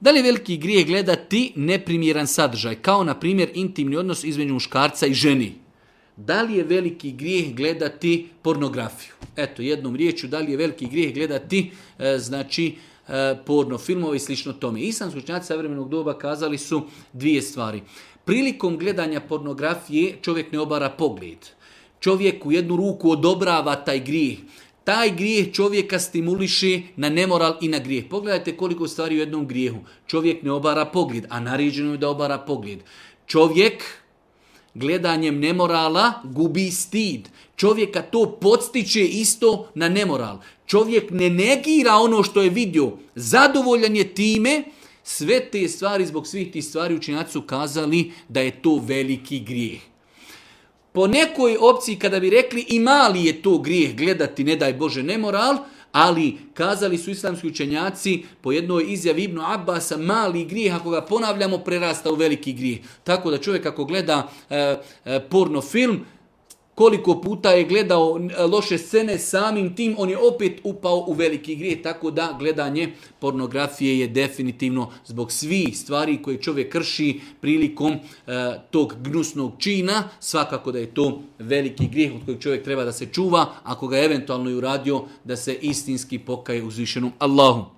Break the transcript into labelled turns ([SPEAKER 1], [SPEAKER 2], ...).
[SPEAKER 1] Da li je veliki grijeh gledati neprimjeran sadržaj, kao na primjer intimni odnos između muškarca i ženi? Da li je veliki grijeh gledati pornografiju? Eto, jednom riječju, da li je veliki grijeh gledati, porno filmove i slično tome. Islamski učenjaci savremenog doba kazali su dvije stvari. Prilikom gledanja pornografije čovjek ne obara pogled. Čovjek u jednu ruku odobrava taj grijeh. Taj grijeh čovjeka stimuliše na nemoral i na grijeh. Pogledajte koliko stvari u jednom grijehu. Čovjek ne obara pogled, a naređeno je da obara pogled. Čovjek gledanjem nemorala gubi stid. Čovjeka to podstiče isto na nemoral. Čovjek ne negira ono što je vidio. Zadovoljan je time. Sve te stvari, zbog svih tih stvari učenjaci su kazali da je to veliki grijeh. Po nekoj opciji kada bi rekli i mali je to grijeh gledati, ne daj Bože, nemoral, ali kazali su islamski učenjaci po jednoj izjavi Ibnu Abbasa, mali grijeh, ako ga ponavljamo, prerasta u veliki grijeh. Tako da čovjek ako gleda porno film, koliko puta je gledao loše scene, samim tim on je opet upao u veliki grijeh, tako da gledanje pornografije je definitivno zbog svih stvari koje čovjek krši prilikom tog gnusnog čina, svakako da je to veliki grijeh od kojeg čovjek treba da se čuva, ako ga eventualno i uradio, da se istinski pokaje uzvišenom Allahu.